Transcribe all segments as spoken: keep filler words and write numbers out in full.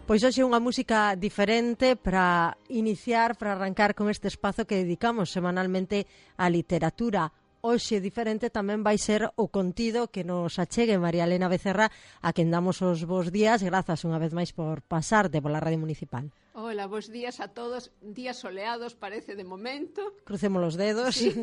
Pois hoxe unha música diferente para iniciar, para arrancar con este espazo que dedicamos semanalmente á literatura. Hoxe diferente tamén vai ser o contido que nos achegue María Elena Becerra, a quen damos os bons días, grazas unha vez máis por pasarte pola Radio Municipal. Hola, bons días a todos, días soleados parece de momento. Crucemos os dedos. Sí.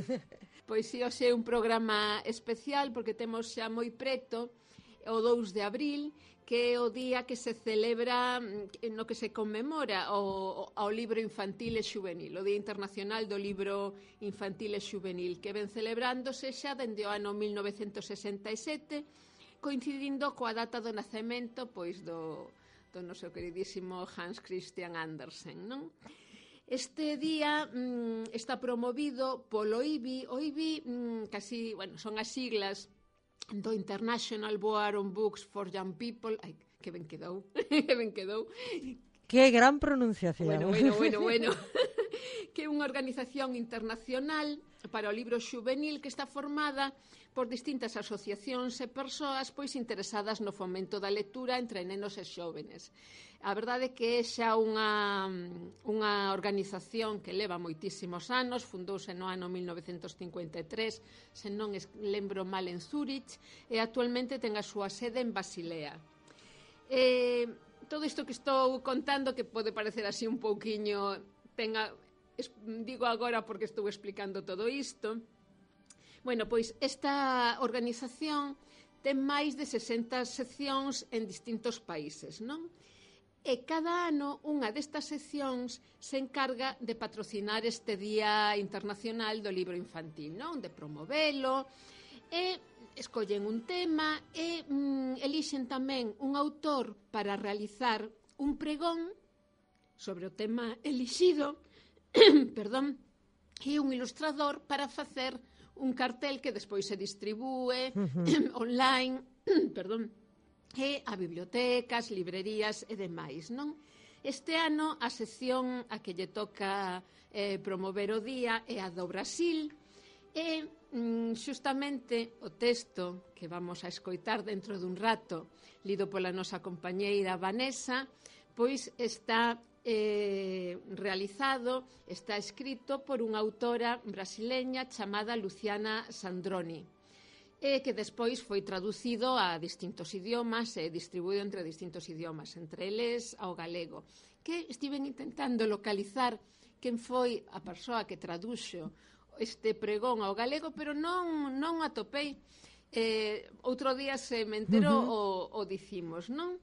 Pois si, hoxe é un programa especial porque temos xa moi preto o dous de abril, que é o día que se celebra, no que se conmemora o, o libro infantil e xuvenil, o Día Internacional do Libro Infantil e Xuvenil, que ven celebrándose xa dende o ano mil novecentos sesenta e sete, coincidindo coa data do nacemento pois do, do noso queridísimo Hans Christian Andersen, non? Este día mm, está promovido polo I B I. O I B I, mm, casi, bueno, son as siglas do International Board on Books for Young People. Ai, que ben quedou, que ben quedou. Que gran pronunciación. Bueno, bueno, bueno, bueno. Que é unha organización internacional para o libro xuvenil que está formada por distintas asociacións e persoas pois interesadas no fomento da lectura entre nenos e xóvenes. A verdade é que é xa unha, unha organización que leva moitísimos anos, fundouse no ano mil novecentos cincuenta e tres, se non lembro mal, en Zúrich, e actualmente ten a súa sede en Basilea. Eh, todo isto que estou contando, que pode parecer así un pouquiño, tenga, digo agora porque estou explicando todo isto. Bueno, pois esta organización ten máis de sesenta seccións en distintos países, non? E cada ano unha destas seccións se encarga de patrocinar este Día Internacional do Libro Infantil, non? De promovelo, e escollen un tema e mm, elixen tamén un autor para realizar un pregón sobre o tema elixido, perdón, e un ilustrador para facer un cartel que despois se distribúe uh-huh. online, perdón, e a bibliotecas, librerías e demais, non? Este ano a sección a que lle toca eh, promover o día é a do Brasil, e mm, xustamente o texto que vamos a escoitar dentro dun rato, lido pola nosa compañeira Vanessa, pois está eh, realizado, está escrito por unha autora brasileña chamada Luciana Sandroni, e que despois foi traducido a distintos idiomas e distribuído entre distintos idiomas, entre eles ao galego, que estiven intentando localizar quen foi a persoa que traduxo este pregón ao galego, pero non, non atopei. Eh, outro día se me enterou uh-huh. o, o dicimos, non?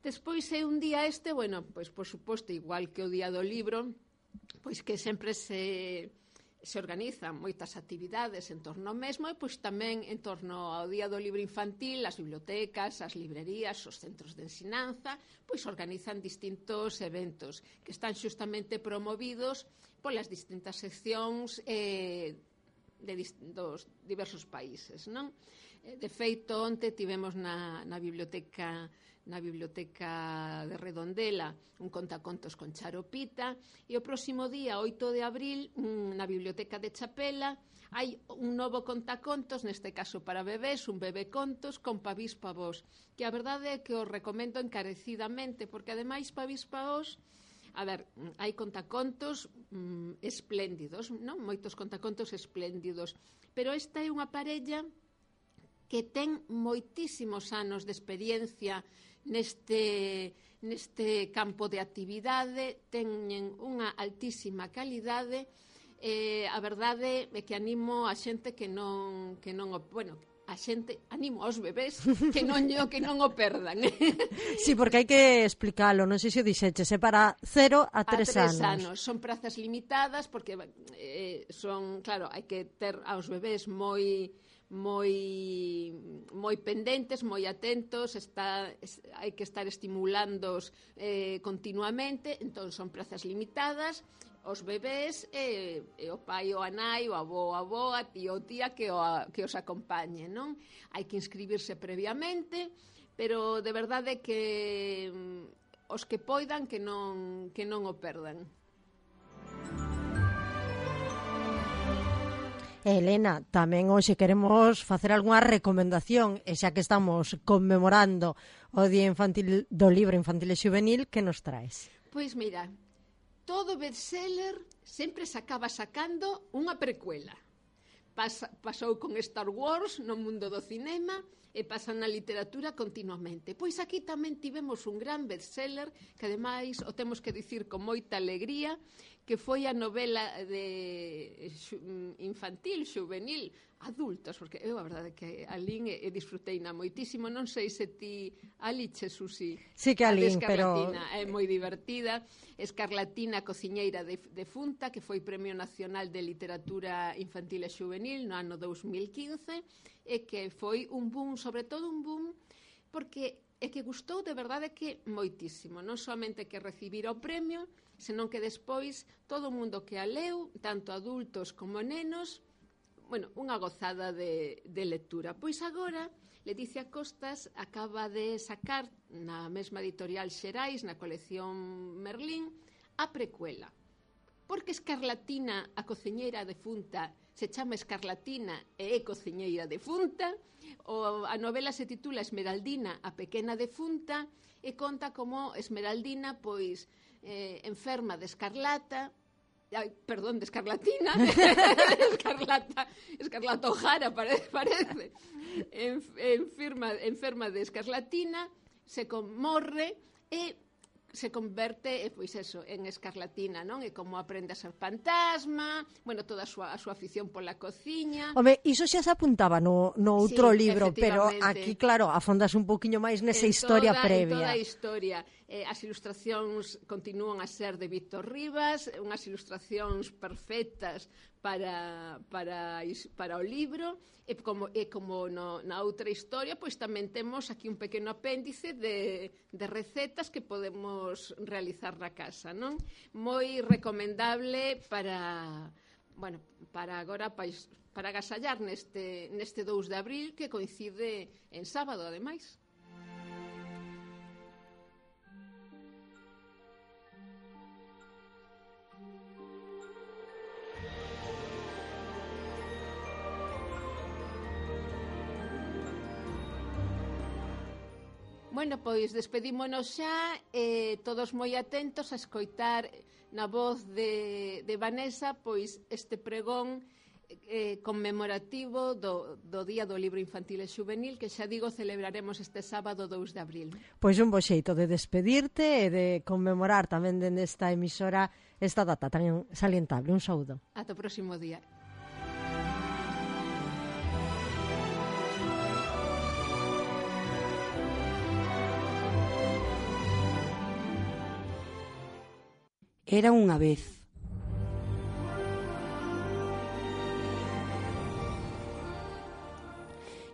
Despois é un día este, bueno, pois por suposto, igual que o Día do Libro, pois que sempre se, se organizan moitas actividades en torno ao mesmo, e pois tamén en torno ao Día do Libro Infantil, as bibliotecas, as librerías, os centros de ensinanza, pois organizan distintos eventos que están xustamente promovidos polas distintas seccións eh, de dis, dos diversos países, non? De feito, onte tivemos na, na biblioteca na biblioteca de Redondela un contacontos con Charo Pita, e o próximo día, oito de abril, na biblioteca de Chapela hai un novo contacontos, neste caso para bebés, un bebé contos con Pavís Pavós, que a verdade é que os recomendo encarecidamente, porque ademais Pavís Pavós, a ver, hai contacontos mm, espléndidos, non? Moitos contacontos espléndidos, pero esta é unha parella que ten moitísimos anos de experiencia neste, neste campo de actividade, teñen unha altísima calidade, eh, a verdade é que animo a xente que non, que non, bueno, a xente, animo aos bebés que non, que non o perdan. Sí, porque hai que explicalo, non sei se o dixeches, é para cero a tres anos. A tres anos, son prazas limitadas porque eh, son, claro, hai que ter aos bebés moi moi moi pendentes, moi atentos, está, hai que estar estimulándoos eh, continuamente, entón son prazas limitadas, os bebés e, e o pai ou a nai, o avó ou a avoa, tío ou tía que, o, que os acompañe, non? Hai que inscribirse previamente, pero de verdade que os que poidan que non, que non o perdan. Elena, tamén hoxe queremos facer algunha recomendación, e xa que estamos conmemorando o Día Infantil do Libro Infantil e Xuvenil, que nos traes? Pois mira, todo bestseller sempre se acaba sacando unha precuela. Pasa, pasou con Star Wars no mundo do cinema e pasa na literatura continuamente. Pois aquí tamén tivemos un gran bestseller que ademais o temos que dicir con moita alegría, que foi a novela de infantil, xuvenil, adultos, porque eu a verdade que a lín e, e disfruteina moitísimo. Non sei se ti aliches, Susi. Sí que a lín, pero... É moi divertida. Escarlatina, cociñeira de, de Funta, que foi Premio Nacional de Literatura Infantil e Xuvenil no ano dous mil quince, e que foi un boom, sobre todo un boom, porque é que gustou de verdade que moitísimo. Non somente que recibira o premio, senón que despois todo o mundo que a leu, tanto adultos como nenos, bueno, unha gozada de, de lectura. Pois agora, Leticia Costas acaba de sacar na mesma editorial Xerais, na colección Merlín, a precuela. Porque Escarlatina, a cociñeira defunta, se chama Escarlatina e é cociñeira defunta, o, a novela se titula Esmeraldina, a pequena defunta, e conta como Esmeraldina, pois, eh, enferma de escarlata, ai, perdón, de escarlatina, escarlata, escarlata O'Hara parece, parece. En, enferma, enferma de escarlatina, se conmorre e se converte, pois eso, en escarlatina, non? E como aprende a ser fantasma, bueno, toda a súa, a súa afición pola cociña. Home, iso xa se apuntaba no, no outro sí, libro, pero aquí, claro, afondas un poquinho máis nesa en historia toda, previa. En toda a historia. Eh, as ilustracións continúan a ser de Víctor Rivas, unhas ilustracións perfectas para, para, para o libro, e como, e como no, na outra historia, pois tamén temos aquí un pequeno apéndice de, de recetas que podemos realizar na casa, non? Moi recomendable para, bueno, para agora, para, para agasallar neste, neste dous de abril, que coincide en sábado, ademais. Bueno, pois despedímonos xa, eh, todos moi atentos a escoitar na voz de, de Vanessa pois este pregón eh, conmemorativo do, do Día do Libro Infantil e Xuvenil, que xa digo celebraremos este sábado dous de abril. Pois un bo xeito de despedirte e de conmemorar tamén dende esta emisora esta data tan salientable. Un saúdo. Ata o próximo día. Era unha vez.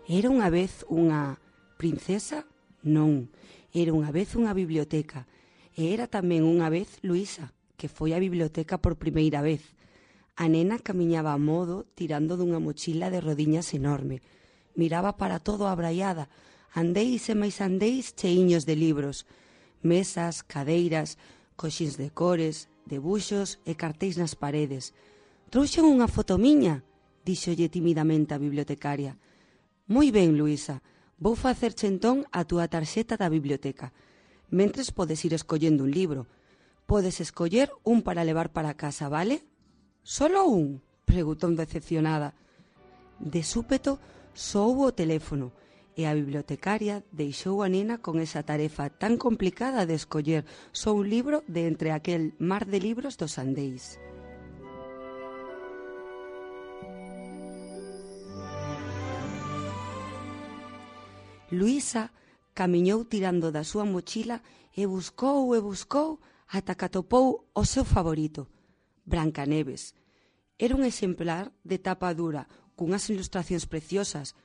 Era unha vez unha princesa? Non, era unha vez unha biblioteca. E era tamén unha vez Luísa, que foi á biblioteca por primeira vez. A nena camiñaba a modo tirando dunha mochila de rodiñas enorme. Miraba para todo abraiada. Andéis e máis andéis cheiños de libros. Mesas, cadeiras, coxins de cores, debuxos e cartéis nas paredes. Trouxen unha foto miña, díxolle timidamente a bibliotecaria. Moi ben, Luísa, vou facerche entón a túa tarxeta da biblioteca. Mentres podes ir escollendo un libro. Podes escoller un para levar para casa, vale? Solo un? Preguntou decepcionada. De súpeto soou o teléfono e a bibliotecaria deixou a nena con esa tarefa tan complicada de escoller só un libro de entre aquel mar de libros dos andeis. Luísa camiñou tirando da súa mochila e buscou e buscou ata que atopou o seu favorito, Brancaneves. Era un exemplar de tapa dura, cunhas ilustracións preciosas.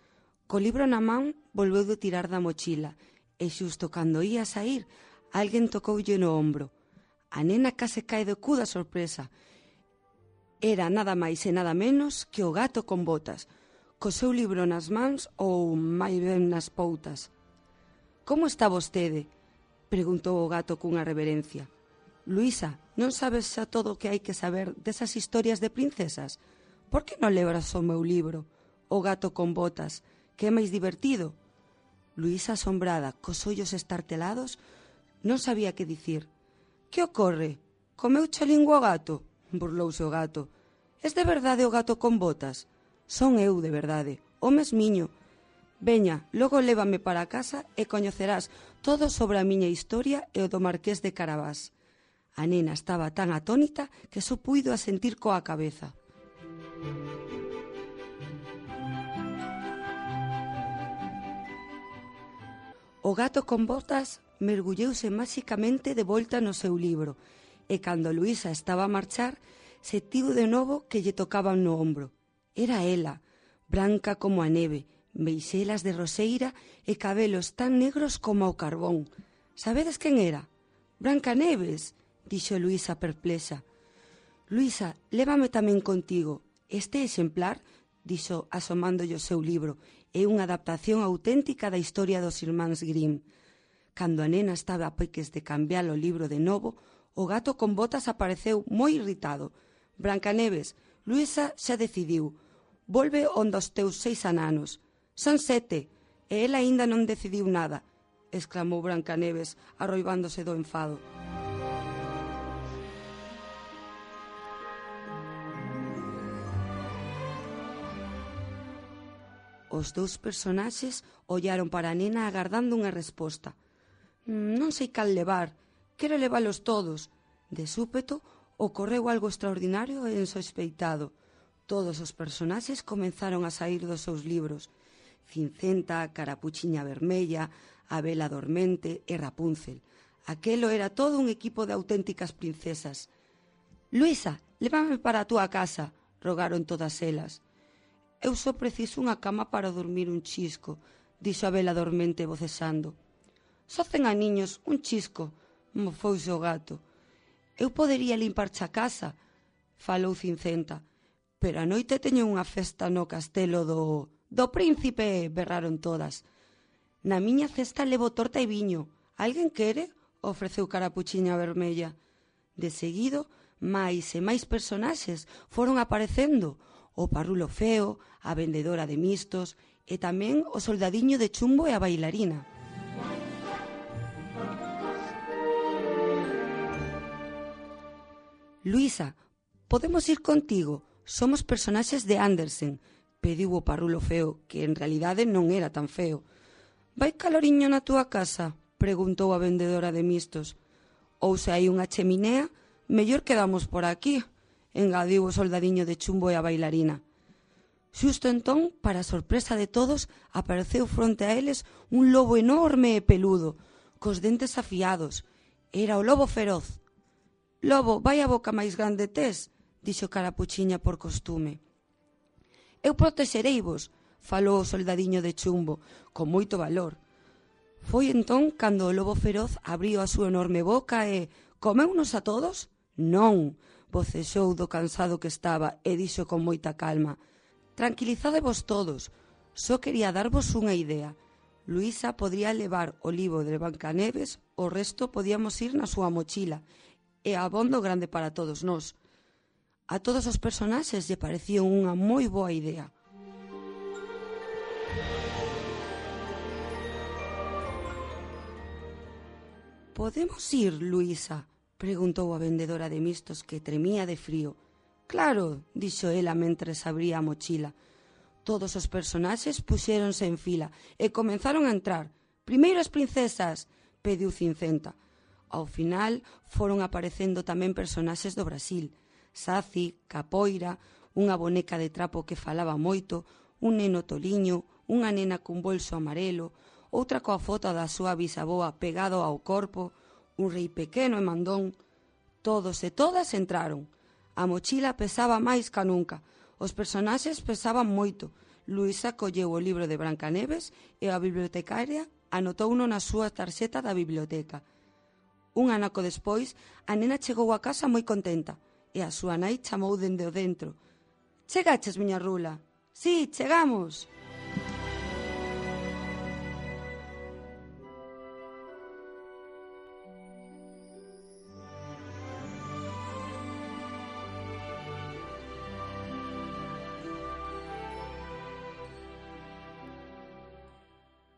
Co libro na man, volveu de tirar da mochila e xusto cando ia sair, alguén tocoulle no ombro. A nena case cae do cu da sorpresa. Era nada máis e nada menos que o gato con botas, co seu libro nas mans ou máis ben nas poutas. «Como está vostede?», preguntou o gato cunha reverencia. «Luísa, non sabes xa todo o que hai que saber desas historias de princesas? por que non lebras o meu libro, O gato con botas, que é máis divertido? Luísa, asombrada, cos ollos estartelados, non sabía que dicir. Que ocorre? Comeuche a lingua o gato? Burlouse o gato. Es de verdade o gato con botas? Son eu, de verdade, o mesmiño. Veña, logo lévame para casa e coñecerás todo sobre a miña historia e o do Marqués de Carabás. A nena estaba tan atónita que só puido asentir coa cabeza. O gato con botas mergulleuse máxicamente de volta no seu libro e cando Luísa estaba a marchar, sentiu de novo que lle tocaban no ombro. Era ela, branca como a neve, meixelas de roseira e cabelos tan negros como o carbón. Sabedes quen era? Brancaneves, dixo Luísa perplexa. Luísa, lévame tamén contigo. Este exemplar, dixo asomándolle o seu libro, é unha adaptación auténtica da historia dos irmáns Grimm. Cando a nena estaba a peques de cambiar o libro de novo, o gato con botas apareceu moi irritado. Brancaneves, Luísa xa decidiu. Volve onde os teus seis ananos. Son sete, e ela aínda non decidiu nada, exclamou Brancaneves, arroibándose do enfado. Os dous personaxes ollaron para a nena agardando unha resposta. Non sei cal levar, quero levalos todos. De súpeto, ocorreu algo extraordinario e insospeitado. Todos os personaxes comenzaron a saír dos seus libros. Cincenta, Carapuchiña Vermella, a Bela Dormente e Rapunzel. Aquelo era todo un equipo de auténticas princesas. Luísa, lévame para a túa casa, rogaron todas elas. Eu só preciso unha cama para dormir un chisco, dixo a Bela Dormente vocesando. Só cen aniños, un chisco, mofouse o gato. Eu podería limparche a casa, falou Cincenta, pero a noite teño unha festa no castelo do... do príncipe, berraron todas. Na miña cesta levo torta e viño. Alguén quere? Ofreceu Carapuchiña Vermella. De seguido, máis e máis personaxes foron aparecendo. O parrulo feo, a vendedora de mistos e tamén o soldadiño de chumbo e a bailarina. Luísa, podemos ir contigo? Somos personaxes de Andersen, pediu o parrulo feo, que en realidade non era tan feo. Vai caloriño na túa casa? Preguntou a vendedora de mistos. Ou se hai unha cheminea, mellor quedamos por aquí, engadiu o soldadiño de chumbo e a bailarina. Xusto entón, para a sorpresa de todos, apareceu fronte a eles un lobo enorme e peludo, cos dentes afiados. Era o lobo feroz. Lobo, vai a boca máis grande tes, dixo Carapuchiña por costume. Eu protexereivos, falou o soldadiño de chumbo, con moito valor. Foi entón cando o lobo feroz abriu a súa enorme boca e... comeunos a todos? Non, vocexou do cansado que estaba e dixo con moita calma. Tranquilizadevos todos, só quería darvos unha idea. Luísa podría levar o libro de Brancaneves, o resto podíamos ir na súa mochila, e abondo grande para todos nós. A todos os personaxes lle parecía unha moi boa idea. Podemos ir, Luísa? Preguntou a vendedora de mistos que tremía de frío. Claro, dixo ela mentres abría a mochila. Todos os personaxes puxéronse en fila e comenzaron a entrar. Primeiro as princesas, pediu Cincenta. Ao final foron aparecendo tamén personaxes do Brasil. Saci, Capoira, unha boneca de trapo que falaba moito, un neno toliño, unha nena cun bolso amarelo, outra coa foto da súa bisaboa pegado ao corpo, un rei pequeno e mandón. Todos e todas entraron. A mochila pesaba máis ca nunca. Os personaxes pesaban moito. Luísa colleu o libro de Brancaneves e a bibliotecaria anotouno na súa tarxeta da biblioteca. Un anaco despois, a nena chegou a casa moi contenta e a súa nai chamou dende o dentro. Chegaches, miña rula? Sí, chegamos.